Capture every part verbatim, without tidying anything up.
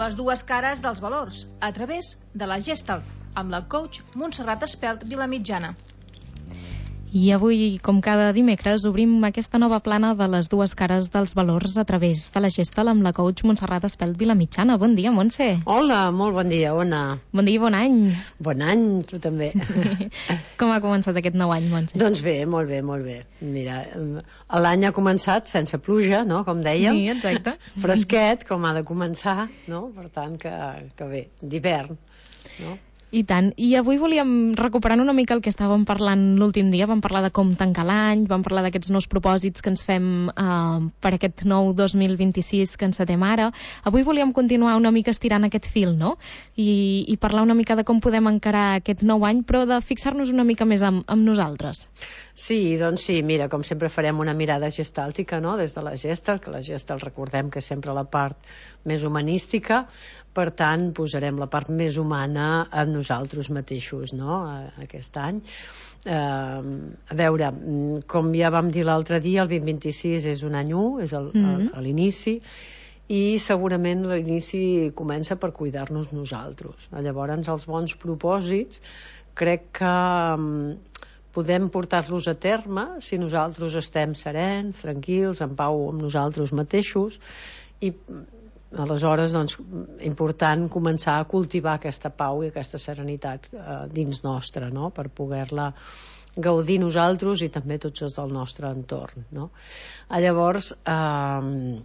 Les dues cares dels valors, a través de la Gestalt, amb la coach Montserrat Espelt Vilamitjana. I avui, com cada dimecres, obrim aquesta nova plana de les dues cares dels valors a través de la Gestalt amb la coach Montserrat Espelt Vilamitjana. Bon dia, Montse. Hola, molt bon dia, Ona. Bon dia i bon any. Bon any, tu també. Com ha començat aquest nou any, Montse? Doncs bé, molt bé, molt bé. Mira, l'any ha començat sense pluja, no?, com dèiem. Sí, exacte. Fresquet, com ha de començar, no? Per tant, que, que bé, d'hivern, no? I tant. I avui volíem recuperar una mica el que estàvem parlant l'últim dia. Vam parlar de com tancar l'any, vam parlar d'aquests nous propòsits que ens fem eh, per aquest nou dos mil vint-i-sis que encetem ara. Avui volíem continuar una mica estirant aquest fil, no? I, i parlar una mica de com podem encarar aquest nou any, però de fixar-nos una mica més amb, amb nosaltres. Sí, doncs sí, mira, com sempre farem una mirada gestàltica, no?, des de la Gestalt, que la Gestalt recordem que és sempre la part més humanística. Per tant, posarem la part més humana en nosaltres mateixos, no?, aquest any. Eh, a veure, com ja vam dir l'altre dia, el vint vint-i-sis és un any u, és el, mm-hmm. l'inici, i segurament l'inici comença per cuidar-nos nosaltres. Llavors, els bons propòsits crec que podem portar-los a terme si nosaltres estem serens, tranquils, en pau amb nosaltres mateixos, i aleshores, doncs, important començar a cultivar aquesta pau i aquesta serenitat eh, dins nostra, no?, per poder-la gaudir nosaltres i també tots els del nostre entorn, no? Llavors, eh,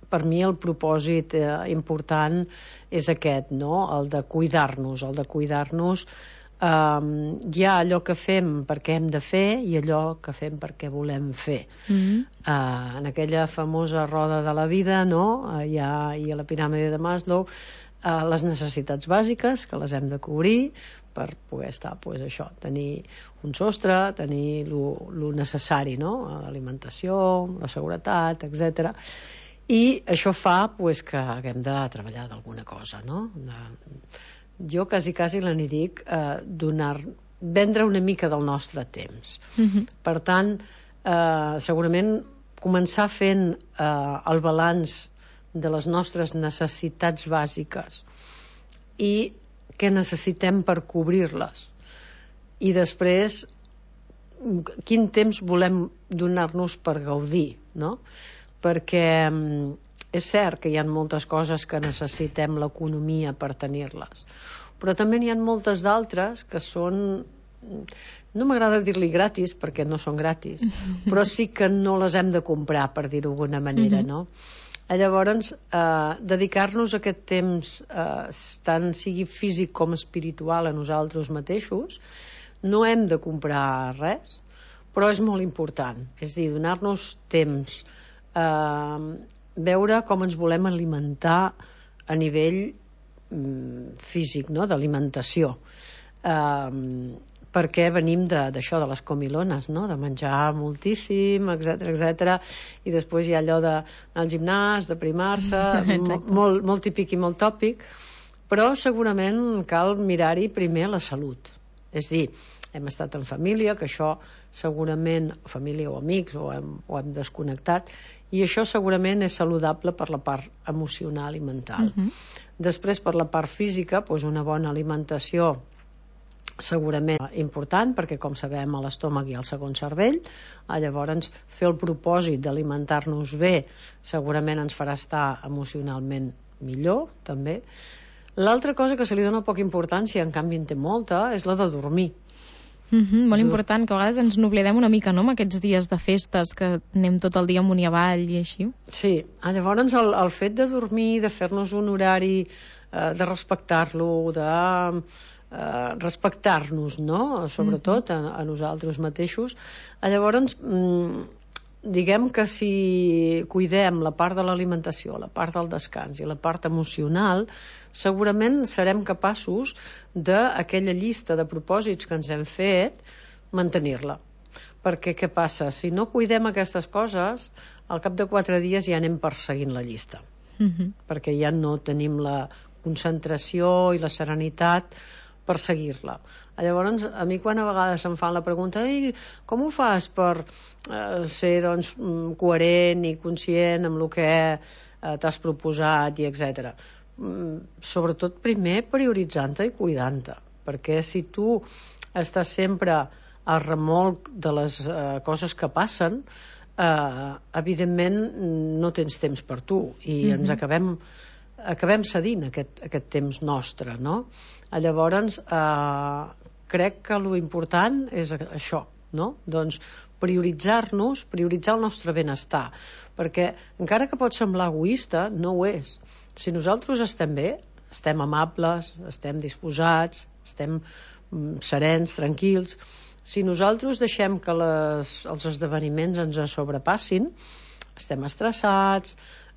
per mi el propòsit eh, important és aquest, no?, el de cuidar-nos, el de cuidar-nos. Uh, hi ha allò que fem perquè hem de fer i allò que fem perquè volem fer. Mm-hmm. uh, en aquella famosa roda de la vida, no?, uh, hi ha, i a la piràmide de Maslow, uh, les necessitats bàsiques que les hem de cobrir per poder estar, pues, això, tenir un sostre, tenir lo necessari, no?, l'alimentació, la seguretat, etcètera. I això fa, pues, que haguem de treballar d'alguna cosa, no?, de, jo quasi quasi n'hi dic eh, donar, vendre una mica del nostre temps. Mm-hmm. Per tant, eh, segurament començar fent eh, el balanç de les nostres necessitats bàsiques i què necessitem per cobrir-les, i després quin temps volem donar-nos per gaudir, no? Perquè és cert que hi ha moltes coses que necessitem l'economia per tenir-les, però també n'hi ha moltes d'altres que són, no m'agrada dir-li gratis perquè no són gratis, però sí que no les hem de comprar, per dir-ho d'alguna manera, no? Llavors, eh, dedicar-nos aquest temps, eh, tant sigui físic com espiritual, a nosaltres mateixos, no hem de comprar res, però és molt important, és a dir, donar-nos temps, eh, veure com ens volem alimentar a nivell mm, físic, no?, d'alimentació, eh, perquè venim d'això, de, de les comilones, no?, de menjar moltíssim, etcètera, etcètera, i després hi ha allò d'anar al gimnàs, de primar-se, molt, molt típic i molt tòpic, però segurament cal mirar-hi primer la salut, és dir, hem estat en família, que això segurament, família o amics, o hem, o hem desconnectat, i això segurament és saludable per la part emocional i mental. Uh-huh. Després, per la part física, doncs una bona alimentació segurament important, perquè, com sabem, a l'estómac hi ha el segon cervell. Llavors, fer el propòsit d'alimentar-nos bé segurament ens farà estar emocionalment millor, també. L'altra cosa que se li dona poca importància, en canvi en té molta, és la de dormir. Mm-hmm, molt important, que a vegades ens n'oblidem una mica, no?, amb aquests dies de festes que anem tot el dia amunt i avall i així. Sí, llavors el, el fet de dormir, de fer-nos un horari, eh, de respectar-lo, de eh, respectar-nos, no?, sobretot mm-hmm. a, a nosaltres mateixos. Llavors, mm, diguem que si cuidem la part de l'alimentació, la part del descans i la part emocional, segurament serem capaços d'aquella llista de propòsits que ens hem fet, mantenir-la. Perquè què passa? Si no cuidem aquestes coses, al cap de quatre dies ja anem perseguint la llista. Mm-hmm. Perquè ja no tenim la concentració i la serenitat per seguir-la. Llavors, a mi quan a vegades em fan la pregunta, ei, com ho fas per eh, ser, doncs, coherent i conscient amb el que eh, t'has proposat i etcètera. sobretot primer prioritzant-te i cuidant-te, perquè si tu estàs sempre al remolc de les eh, coses que passen, eh, evidentment no tens temps per tu i mm-hmm. ens acabem acabem cedint aquest, aquest temps nostre, no? Llavors eh, crec que lo important és això, no? Doncs prioritzar-nos, prioritzar el nostre benestar, perquè encara que pot semblar egoista, no ho és. Si nosaltres estem bé, estem amables, estem disposats, estem mm, serens, tranquils, si nosaltres deixem que les, els esdeveniments ens sobrepassin, estem estressats,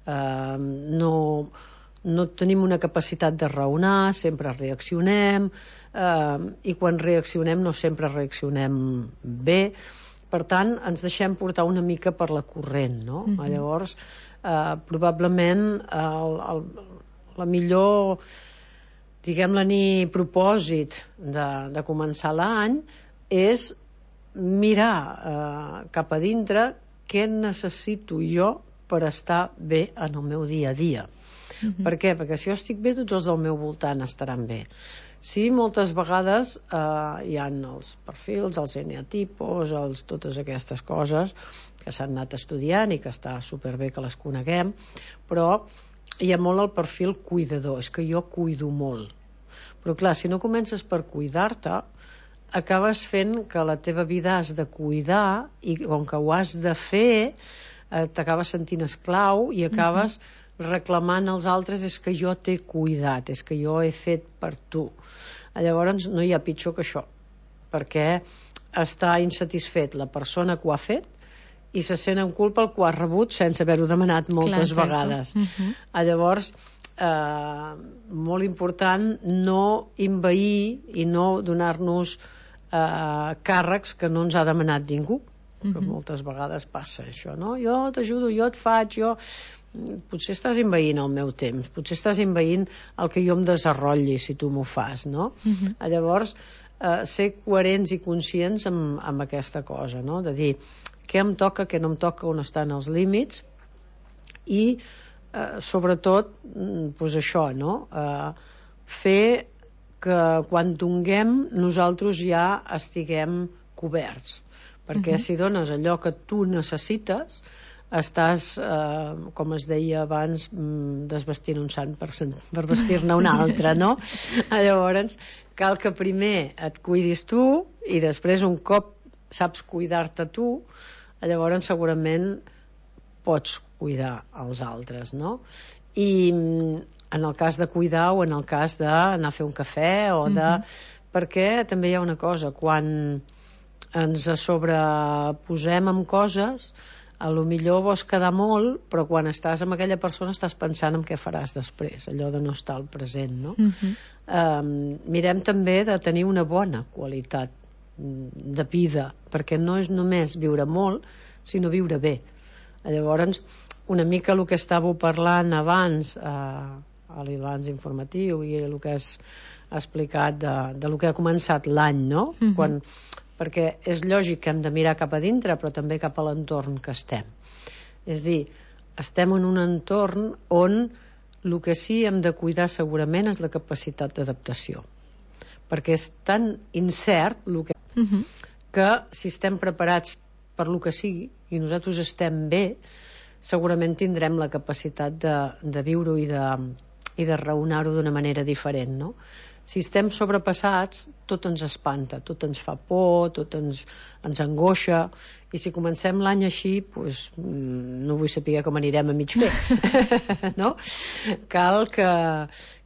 eh, no, no tenim una capacitat de raonar, sempre reaccionem, eh, i quan reaccionem no sempre reaccionem bé. Per tant, ens deixem portar una mica per la corrent, no? Mm-hmm. Llavors, eh, probablement el, el, la millor, diguem-la ni propòsit de, de començar l'any és mirar eh, cap a dintre què necessito jo per estar bé en el meu dia a dia. Mm-hmm. Per què? Perquè si jo estic bé, tots els del meu voltant estaran bé. Sí, moltes vegades eh, hi ha els perfils, els eneatipos, els, totes aquestes coses que s'han anat estudiant i que està superbé que les coneguem, però hi ha molt el perfil cuidador, és que jo cuido molt. Però clar, si no comences per cuidar-te, acabes fent que la teva vida has de cuidar i com que ho has de fer, eh, t'acabes sentint esclau i acabes mm-hmm. reclamant als altres és que jo t'he cuidat, és que jo he fet per tu. Llavors no hi ha pitjor que això, perquè està insatisfet la persona que ho ha fet i se sent en culpa el que ho ha rebut sense haver-ho demanat moltes Clar, vegades. Uh-huh. Llavors, eh, molt important no envair i no donar-nos eh, càrrecs que no ens ha demanat ningú. Uh-huh. Que moltes vegades passa això, no? Jo t'ajudo, jo et faig, jo... Potser estàs envaint el meu temps, potser estàs envaint el que jo em desenrotlli si tu m'ho fas, no? Uh-huh. Llavors, eh, ser coherents i conscients amb, amb aquesta cosa, no? De dir què em toca, què no em toca, on estan els límits i eh, sobretot pues això, no? Eh, fer que quan donguem nosaltres ja estiguem coberts, perquè uh-huh. si dones allò que tu necessites estàs, eh, com es deia abans, desvestint un sant per, per vestir-ne un altre, no? Llavors, cal que primer et cuidis tu i després, un cop saps cuidar-te tu, llavors segurament pots cuidar els altres, no? I en el cas de cuidar o en el cas d'anar a fer un cafè o de... Mm-hmm. Perquè també hi ha una cosa, quan ens sobreposem amb coses, a lo millor vols quedar molt, però quan estàs amb aquella persona estàs pensant en què faràs després, allò de no estar al present, no? Uh-huh. Um, mirem també de tenir una bona qualitat de vida, perquè no és només viure molt, sinó viure bé. Llavors, una mica el que estàveu parlant abans, eh, a l'Ilans informatiu i el que has explicat de, de lo que ha començat l'any, no? Uh-huh. Quan... perquè és lògic que hem de mirar cap a dintre, però també cap a l'entorn que estem. És dir, estem en un entorn on el que sí hem de cuidar segurament és la capacitat d'adaptació. Perquè és tan incert el que... Uh-huh. que si estem preparats per lo que sigui i nosaltres estem bé, segurament tindrem la capacitat de, de viure-ho i de, i de raonar-ho d'una manera diferent, no? Si estem sobrepassats, tot ens espanta, tot ens fa por, tot ens, ens angoixa, i si comencem l'any així, pues, no vull saber com anirem a mig fer. No? Cal que,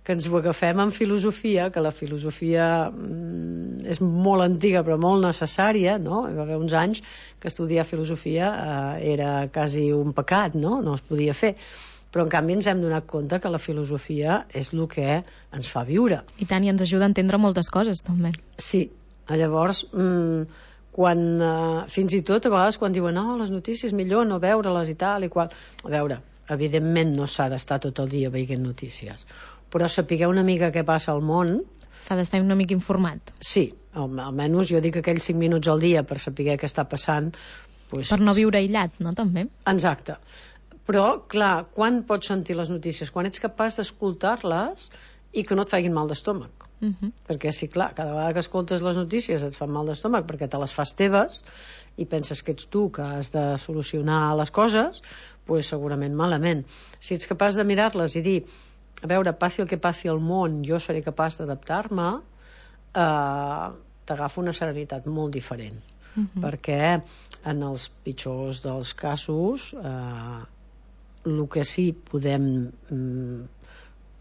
que ens ho agafem amb filosofia, que la filosofia mm, és molt antiga però molt necessària, no? Hi va haver uns anys que estudiar filosofia eh, era quasi un pecat, no? No es podia fer. Però en canvi ens hem donat compte que la filosofia és el que ens fa viure. I tant, i ens ajuda a entendre moltes coses, també. Sí, llavors, mmm, quan, eh, fins i tot a vegades quan diuen no, les notícies millor no veure-les i tal i qual. A veure, evidentment no s'ha d'estar tot el dia veient notícies, però sapigueu una mica què passa al món. S'ha d'estar una mica informat. Sí, al, almenys jo dic aquells cinc minuts al dia per saber què està passant. Pues, per no viure aïllat, no, també? Exacte. Però, clar, quan pots sentir les notícies? Quan ets capaç d'escoltar-les i que no et facin mal d'estómac. Uh -huh. Perquè, sí, clar, cada vegada que escoltes les notícies et fan mal d'estómac perquè te les fas teves i penses que ets tu que has de solucionar les coses, pues segurament malament. Si ets capaç de mirar-les i dir, a veure, passi el que passi al món, jo seré capaç d'adaptar-me, eh, t'agafa una serenitat molt diferent. Uh -huh. Perquè en els pitjors dels casos eh, el que sí podem mm,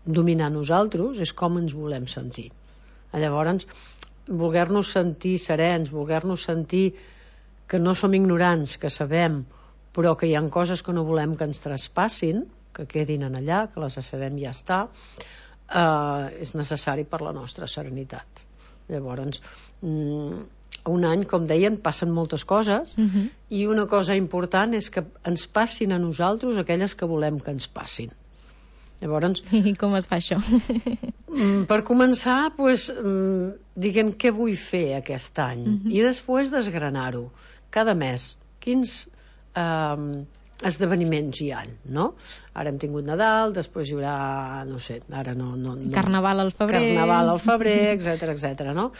dominar nosaltres és com ens volem sentir. Llavors, voler-nos sentir serens, voler-nos sentir que no som ignorants, que sabem, però que hi ha coses que no volem que ens traspassin, que quedin en allà, que les sabem i ja està, eh, és necessari per la nostra serenitat. Llavors, mm, un any, com deien, passen moltes coses, uh-huh. i una cosa important és que ens passin a nosaltres aquelles que volem que ens passin. Llavors, i com es fa això? Per començar, pues, diguem què vull fer aquest any, uh-huh. i després desgranar-ho. Cada mes, quins eh, esdeveniments hi ha, no? Ara hem tingut Nadal, després hi haurà, no sé, ara no... no, no Carnaval al febrer. Carnaval al febrer, etcètera, etcètera, no?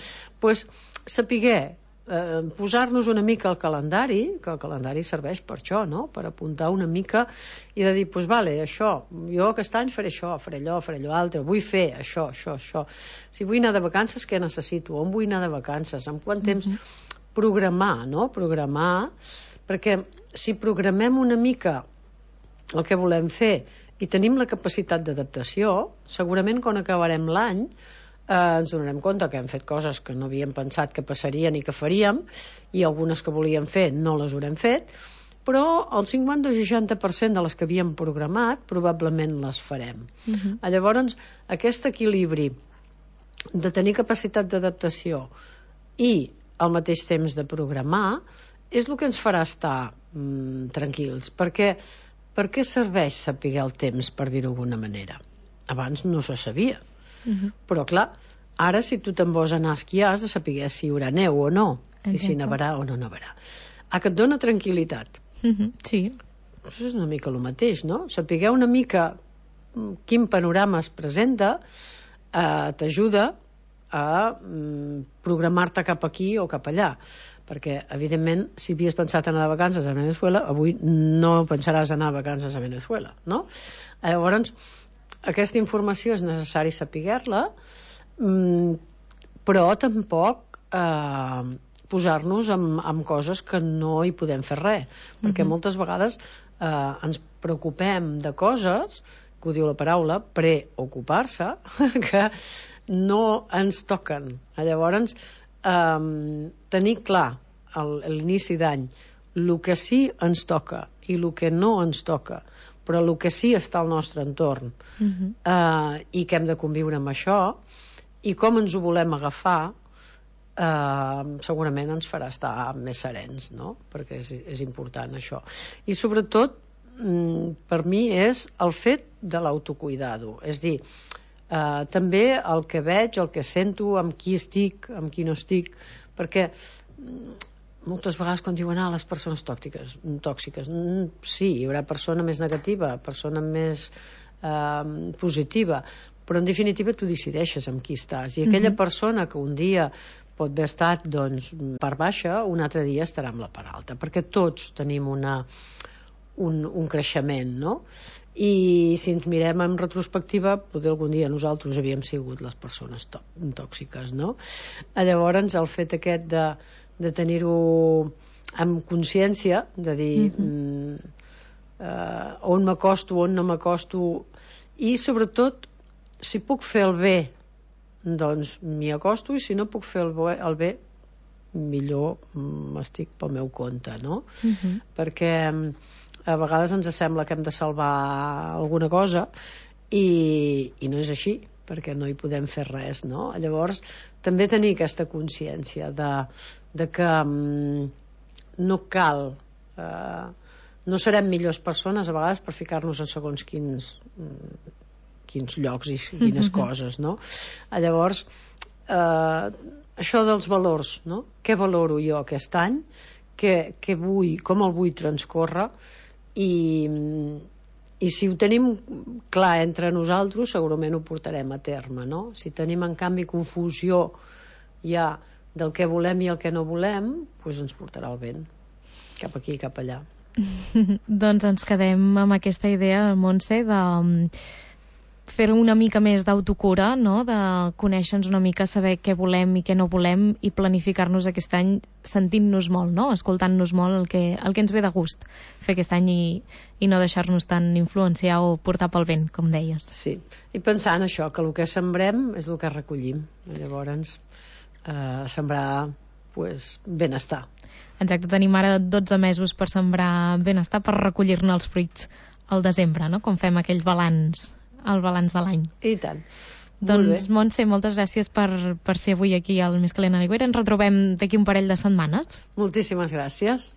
Pues, sapiguer, eh, posar-nos una mica al calendari, que el calendari serveix per això, no? Per apuntar una mica i de dir, pues vale, això, jo aquest any faré això, faré allò, faré allò altre, vull fer això, això, això. Si vull anar de vacances, què necessito? On vull anar de vacances? En quant temps? Mm-hmm. Programar, no? Programar, perquè si programem una mica el que volem fer i tenim la capacitat d'adaptació, segurament quan acabarem l'any eh, ens donarem compte que hem fet coses que no havíem pensat que passarien i que faríem, i algunes que volíem fer no les haurem fet, però el cinquanta o seixanta per cent de les que havíem programat probablement les farem. Uh-huh. Llavors, aquest equilibri de tenir capacitat d'adaptació i al mateix temps de programar és el que ens farà estar mm, tranquils, perquè per què serveix saber el temps, per dir-ho d'alguna manera? Abans no se sabia. Uh-huh. Però clar, ara si tu te'n vols anar a esquiar has de saber si hi haurà neu o no. Exacte. I si nevarà o no nevarà. Ah, que et dona tranquil·litat. Uh-huh. Sí. Això és una mica el mateix, no? Saber una mica quin panorama es presenta eh, t'ajuda a mm, programar-te cap aquí o cap allà, perquè evidentment si havies pensat anar de vacances a Venezuela, avui no pensaràs anar a vacances a Venezuela, no? Llavors aquesta informació és necessari saber-la, mm, però tampoc eh, posar-nos amb, amb coses que no hi podem fer res, perquè uh-huh. moltes vegades eh, ens preocupem de coses, que ho diu la paraula, preocupar-se, que no ens toquen. Llavors, eh, tenir clar a l'inici d'any el que sí ens toca i el que no ens toca, però el que sí està al nostre entorn, uh-huh. eh, i que hem de conviure amb això, i com ens ho volem agafar, eh, segurament ens farà estar més serens, no? Perquè és, és important això. I sobretot, mm, per mi, és el fet de l'autocuidado. És dir, eh, també el que veig, el que sento, amb qui estic, amb qui no estic, perquè moltes vegades quan diuen ah, les persones tòxiques, tòxiques sí, hi haurà persona més negativa, persona més eh, positiva, però en definitiva tu decideixes amb qui estàs, i aquella mm-hmm. persona que un dia pot haver estat doncs, per baixa, un altre dia estarà amb la part alta, perquè tots tenim una, un, un creixement, no? I si ens mirem en retrospectiva, potser algun dia nosaltres havíem sigut les persones tòxiques, no? Llavors el fet aquest de, de tenir-ho amb consciència, de dir mm-hmm. eh, on m'acosto, on no m'acosto, i sobretot si puc fer el bé doncs m'hi acosto, i si no puc fer el bé, el bé millor m'estic pel meu compte, no? Mm-hmm. Perquè a vegades ens sembla que hem de salvar alguna cosa i, i no és així, perquè no hi podem fer res, no? Llavors també tenir aquesta consciència de, de que um, no cal eh, no serem millors persones a vegades per ficar-nos en segons quins quins llocs i quines mm-hmm. coses, no? Llavors eh, això dels valors, no? Què valoro jo aquest any? Què, què vull, com el vull transcórrer? i, i si ho tenim clar entre nosaltres segurament ho portarem a terme, no? Si tenim en canvi confusió ja del que volem i el que no volem, doncs ens portarà el vent cap aquí i cap allà. Doncs ens quedem amb aquesta idea, Montse, de fer una mica més d'autocura, no? De conèixer-nos una mica, saber què volem i què no volem i planificar-nos aquest any sentint-nos molt, no? Escoltant-nos molt el que, el que ens ve de gust fer aquest any i, i no deixar-nos tan influenciar o portar pel vent, com deies. Sí, i pensant això, que el que sembrem és el que recollim. Llavors, eh, sembrar pues, benestar. Exacte, tenim ara dotze mesos per sembrar benestar, per recollir-ne els fruits al desembre, no? Com fem aquell balanç, el balanç de l'any. I tant. Doncs, Montse, moltes gràcies per, per ser avui aquí al Més Calent a l'Aigüera. Ens retrobem d'aquí un parell de setmanes. Moltíssimes gràcies.